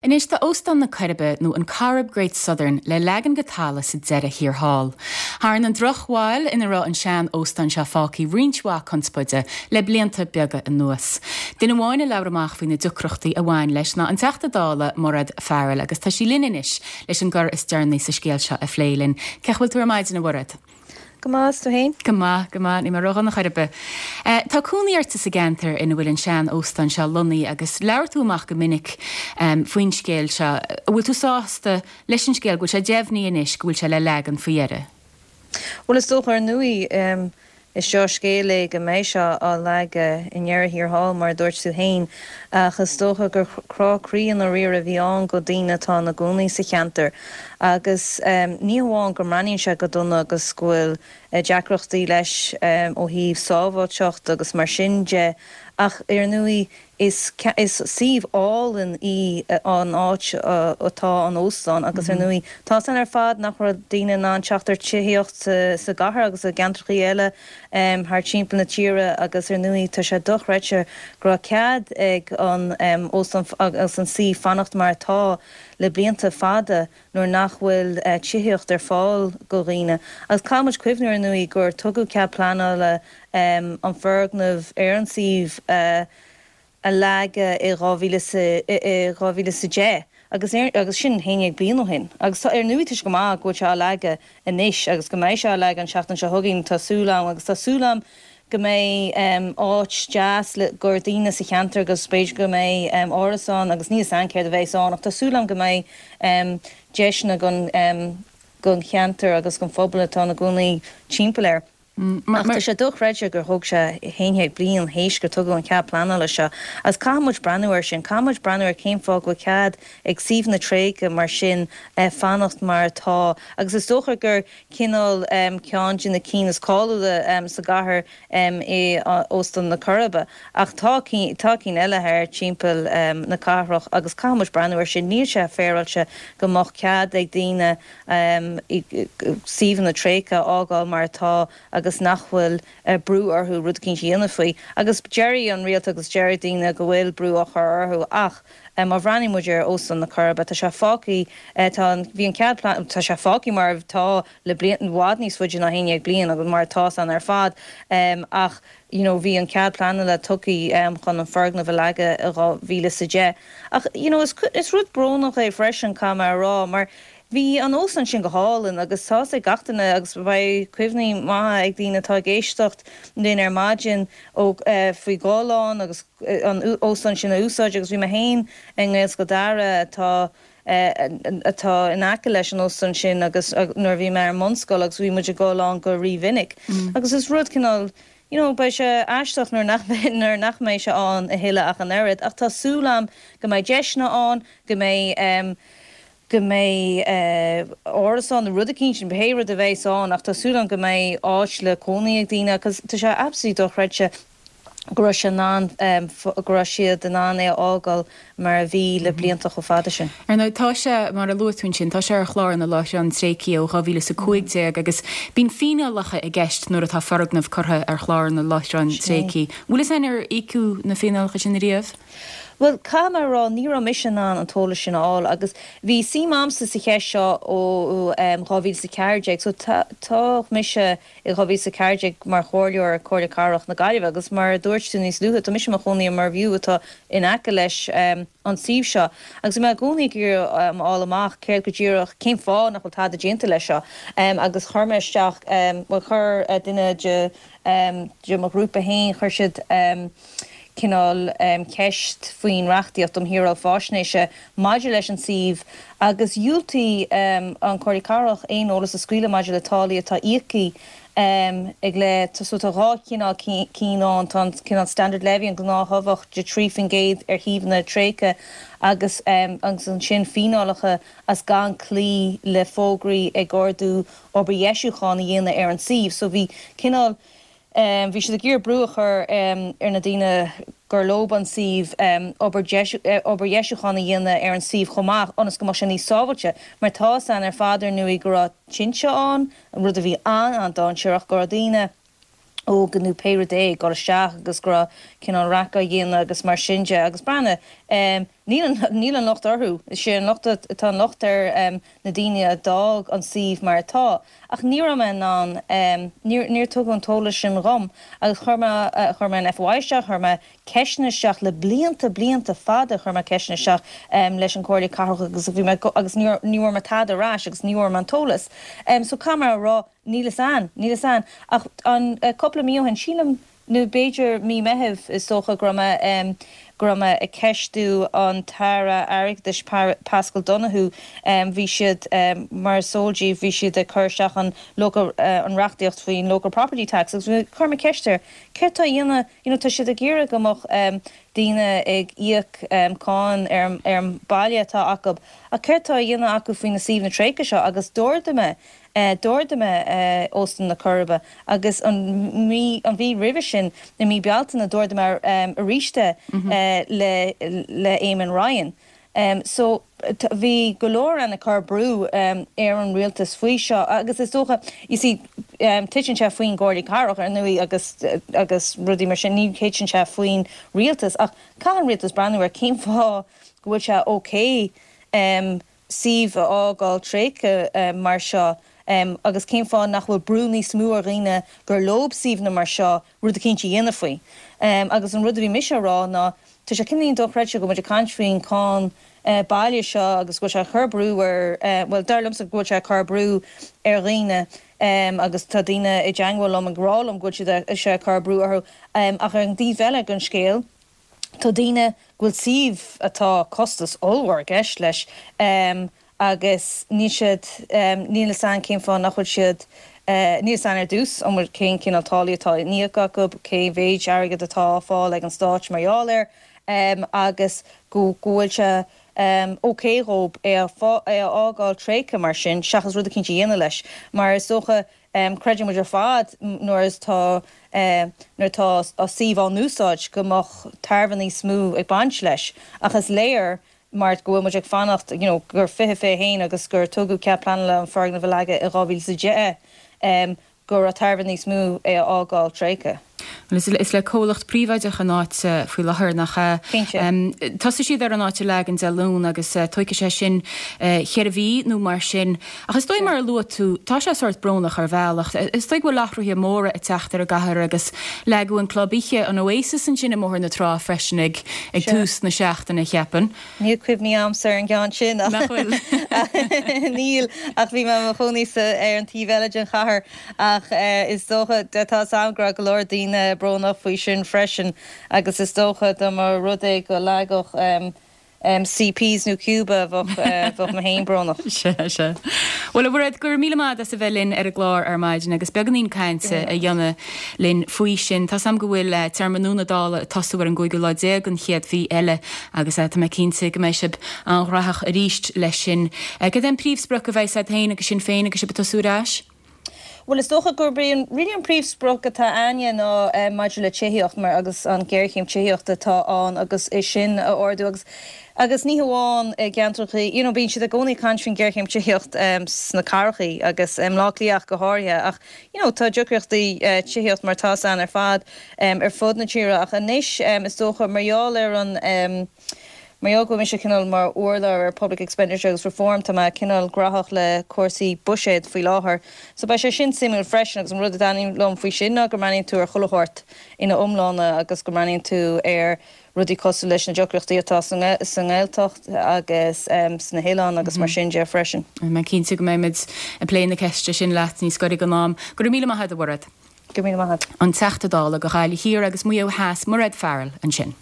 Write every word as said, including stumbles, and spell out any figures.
Anois tá Óstán na Coiribe nó an Corrib Great Southern le leagan go talamh sa deireadh thiar thall. Tharraing an drochbhail ina raibh an sean-óstán seo fágtha roinnt mhaith conspóide le blianta beaga anuas. Duine amháin a labhair amach faoi na deacrachtaí a bhain leis ná an Teachta Dála Mairéad Farrell agus tá sí linn anois leis an gcor is deireanaí sa scéal seo a phlé linn. Cén chaoi a bhfuil tú ar maidin a Mhairéad? Go maith tú féin? Go maith go maith ní mar an chorbe. Uh, tá cónaí ort sa gceantar ina bhfuil an sean-óstán seo lonnaithe agus labhair tú amach go minic um, faoin scéal seo. Bhfuil tú sásta leis an scéal go bhfuil sé deimhnithe anois go bhfuil sé le leagan faoi dheireadh. Well is dócha ar ndóigh um, is seo scéal é go mbeidh sé á leagan i ndeireadh thiar thall mar dúirt tú féin ach is dócha gur crá croí an riar a bhí ann do dhaoine atá ina gcónaí sa cheantar agus um, ní amháin go mbreathnaíonn sé go dona agus go bhfuil uh, deacrachtaí leis um, ó thaobh sábháilteacht agus mar sin de ach ar ndóigh is is suíomh álainn í an áit atá an óstán agus ar mm -hmm. ndóigh tá san ar fad nach raibh daoine in ann teacht ar tithíocht sa gcathair agus i gceantracha eile um, thar timpeall na tíre agus ar ndóigh tá sé dochreidte go raibh cead ag an um, óstán agus an suíomh fanacht mar atá le blianta fada nuair nach bhfuil uh, tithíocht ar fáil do dhaoine. Agus caithfidh muid cuimhneamh ar ndóigh gur tugadh cead pleanála um, an foirgneamh ar an suíomh uh, a leagadh i dhá mhíle sa deich agus agus sin haon déag bliain ó shin. Agus ar ndóigh tá go maith go bhfuil sé á leagan anois agus go mbeidh sé á leagan an seachtain seo chugainn tá súil agam agus tá súil agam go mbeidh um, áit deas le do dhaoine sa cheantar agus b'fhéidir go mbeidh um, árasán agus níl a fhios agam céard a bheidh ann ach tá súil agam go mbeidh um, deiseanna don um, don cheantar agus don phobal atá ina gcónaí timpeall air. Mm, Ach tá sé dochreidte gur thóg sé haon déag bliain théis gur tugadh an cead pleanála seo. Agus caithfidh muid breathnú air sin caithfidh muid breathnú ar cén fáth go cead ag suíomhanna tréigthe mar sin eh, fanacht mar atá. agus is dócha gur cineál um, ceann de na cinn is cáiliúla um, sa gcathair um, é Óstán na Coiribe. Ach tá tá cinn eile thar timpeall um, na cathrach agus caithfidh muid breathnú air sin níl sé féaráilte go mbeadh cead ag daoine um, suíomhanna tréigthe a fhágáil mar atá agus nach bhfuil uh, brú orthu rud éicint a dhéanamh faoi. Agus deir an rialtas agus deir daoine go bhfuil brú á chur orthu ach um, má bhreathnaíonn muid ar Óstán na Coiribe tá sé fágtha tá bhí an cead tá sé fágtha mar tá le bliain i bhfad níos faide ná haon déag bliain agus mar tá an ar fad um, ach you know, bhí an cead pleanála tugtha um, chun an foirgneamh a leagan i dhá mhíle sa deich. Ach you know, is, is rud brónach é freisin cá mar rá mar Bhí an óstán sin go hálainn agus tá sé gach duine agus beidh cuimhní maithe ag daoine atá ag éisteacht linn ar maidin ó uh, faoi gáán agus uh, an óstán sin a úsáid agus bhí mé féin i nGaelscoil Dara atá atá in aice leis an óstán sin agus nuair bhí mé ar mbunscoil agus bhí muid ag dul ann go rímhinic. Mm. Agus is rud cineál You know, beidh sé aisteach nuair nach nuair nach mbeidh sé ann a thuilleadh ach an oiread, ach tá súil agam go mbeidh deiseanna ann go mbeidh um, go mbeidh uh, árasán nó rud éicint sin pé rud a bheidh ann ach tá súil agam go mbeidh áit le cónaí ag daoine agus tá sé absolutely dochreidte go raibh sé in ann um, go raibh siad in ann é a fhágáil mar a bhí le blianta chomh fada sin. Ar ndóigh tá sé mar a luaigh tú sin tá sé ar chlár na láithreán tréigthe ó dhá mhíle is a cúig déag agus bíonn fíneálacha i gceist nuair atá foirgneamh curtha ar chlár na láithreán tréigthe. Bhfuil a fhios ar íocadh na fíneálacha sin riamh? Well cá mar rá ní raibh mise in ann an t-eolas sin a fháil agus bhí suim agamsa sa cheist seo ó dhá mhíle sa ceathair déag so tá mise i dhá mhíle sa ceathair déag mar chomhairleoir Comhairle Cathrach na Gaillimhe agus mar dúirt tú níos luaithe tá mise i mo chónaí i Mervue atá in aice leis um, an suíomh seo. Agus mé i gcónaí ag um, fháil amach céard go díreach cén fáth nach bhfuil tada déanta leis seo. Um, agus chuir mé isteach um, chuir uh, duine de um, de mo ghrúpa féin chuir siad um, cineál um, ceist faoin reachtaíocht um shaoráil faisnéise maidir leis an suíomh agus dhiúltaigh um, an Chomhairle Cathrach aon eolas a scaoileadh maidir le táillí atá íoctha um, ag le so tá dhá chineál cinn ann tá cineál standard levy an gnáth-thobhach de trí faoin gcéad ar shuíomhanna tréigthe agus um, agus ansin fíneálacha as gan cloí le fógraí ag ordú obair dheisiúcháin a dhéanamh ar an suíomh, so bhí cineál Um, bhí siad ag iarraidh brú a chur um, ar na daoine gur leo an suíomh um, obair dheisiúcháin a dhéanamh ar an suíomh chomh maith ionas go mbeadh sé níos sábháilte, mar tá san ar fad ar ndóigh go raibh tinte ann, an rud a bhí an an-dainséarach go raibh daoine óga nó pé rud é ag dul isteach agus go raibh cineál raic á dhéanamh agus mar sin de agus breathnaigh Níl an, níl an locht orthu, is é an locht, tá an locht ar na daoine a d'fhág an suíomh mar atá. Ach ní raibh mé in ann, níor, níor tugadh an t-eolas sin dhom agus chuir mé, chuir mé an FOI isteach, chuir mé ceisteanna isteach le blianta, blianta fada chuir mé ceisteanna isteach leis an Chomhairle Cathrach agus bhí mé, agus ní, ní bhfuair mé tada ar ais agus ní bhfuair mé an t-eolas. So caithfidh mé a rá, níl fhios a'm, níl fhios a'm. Ach an, cúpla mí ó shin, sílim, nó b'fhéidir mí Meithimh, is dócha go raibh mé, go raibh mé ag ceistiú an tAire Airgeadais Paschal Donohoe, bhí siad, mar is eol daoibh, bhí siad ag cur isteach an local, an reachtaíocht faoin Local Property Tax agus chuir mé ceist air, céard tá á dhéanamh, you know, tá siad ag iarraidh go mbeadh daoine ag íoc cáin ar ar an baile atá acu ach céard tá á dhéanamh acu faoi na suíomhanna tréigthe seo agus d'ardaigh mé D'ardaigh mé Óstán na Coiribe agus an mhí an mhí roimhe sin, i mí Bealtaine, d'ardaigh mé arís é le le Eamon Ryan. So bhí go leor ann ag cur brú ar an rialtas faoi seo agus is dócha, you see, titeann sé faoin gComhairle Cathrach ar ndóigh agus agus rudaí mar sin, ní thiteann sé faoin rialtas ach caithfidh an rialtas breathnú ar cén fáth go bhfuil sé okay suíomh a fhágáil tréigthe mar seo agus cén fáth nach bhfuil brú níos mó ar dhaoine gur leo suíomhanna mar seo rud eicínt a dhéanamh faoi. Agus an rud a bhí mise a rá ná tá sé cineál dochreidte go bhfuil muid ag caint faoin cáin baile seo agus go bhfuil sé ag cur brú ar, bhuel dar liomsa go bhfuil sé ag cur brú ar dhaoine agus tá daoine i dteangmháil liom ag rá liom go bhfuil siad sé ag cur brú orthu ach ar an dtaobh eile den scéal Tá daoine go bhfuil suíomh atá costas ollmhór i gceist leis agus níl siad, níl fhios a'm cén fáth nach bhfuil siad, níl fhios a'm ar dtús an bhfuil, cén cineál táillí atá á n-íoc acu, cé mhéid airgead atá á fáil ag an stáit mar gheall air agus go bhfuil sé ok dhób é a fhágáil tréigthe mar sin seachas rud eicínt a dhéanamh leis mar is dócha Creideann muid ar fad nuair is tá nuair atá suíomh á n-úsáid go mbeadh tairbhe níos mó ag baint leis ach is léir mar go bhfuil muid ag fanacht you know gur fiche fiche haon agus gur tugadh cead pleanála an foirgneamh a leagadh i dhá mhíle is a deich go raibh tairbhe níos mó é a fhágáil tréigthe. Bhuel, is le comhlacht príobháideach an áit faoi láthair, nach ea? Cinnte. Tosóidh siad ar an áit a leagan Dé Luain agus tógfaidh sé sin cheithre mhí nó mar sin. Ach is dóigh mar a luaigh tú, tá sé sórt brónach ar bhealach. Is dóigh go bhfuil athruithe móra ag teacht ar an gcathair agus leagadh an club oíche, an Oasis ansin i mBóthar na Trá freisin ag tús na seachtaine, cheapfainn. Níl cuimhní a'msa ar an gceann sin ach. Nach bhfuil? Níl, ach bhí mé i mo chónaí sa, ar an taobh eile den chathair ach is dócha, tá 'fhios a'm go raibh go leor daoine brónach faoi sin freisin agus is dócha dá mba rud é go leagfadh CPs nó Cuba bheadh, bheadh mé féin brónach. Sea, sea. Bhuel, a Mhairéad, go raibh míle maith agat as a bheith linn ar an gclár ar maidin agus beagáinín cainte a dhéanamh linn faoi sin. Tá's a'm go bhfuil téarma nua na Dála ag tosú ar an gcúigiú lá déag den chéad mhí eile agus tá mé cinnte go mbeidh sibh an-ghnóthach arís leis sin. Cad é an príomhsprioc a bheidh agat féin agus Sinn Féin agus sibh ag tosú ar ais? Bhuel, is dócha gurb í an, really an príomhsprioc atá a'inne ná maidir le tithíocht mar agus an ghéarchéim tithíochta atá ann agus é sin a ardú agus agus ní hamháin i gceantracha, you know bíonn siad i gcónaí ag caint faoin ghéarchéim tithíocht sna cathracha agus i mBleá Cliath ach go háirithe ach you know tá deacrachtaí tithíocht mar atá ann ar fad ar fud na tíre ach anois is dócha mar gheall ar an Mar gheall go bhfuil mise cineál mar urlabhraí ar Public Expenditure agus Reform, tá mé cineál graitheach le cúrsaí buiséid faoi láthair. So beidh sé sin suimiúil freisin agus an rud a thaitníonn liom faoi sin ná go mbreathnaíonn tú ar chuile shórt ina iomláine agus go mbreathnaíonn tú ar rudaí cosúil leis na deacrachtaí atá sa nGaeltacht agus sna hoileáin agus mar sin de freisin. Mé cinnte go mbeimid ag plé na ceiste sin leat níos gaire don am. Go raibh míle maith agat, a Mhairéad. Go raibh míle maith agat. An Teachta Dála do Ghaillimh Thiar agus Maigh Eo Theas, Mairéad Farrell, ansin.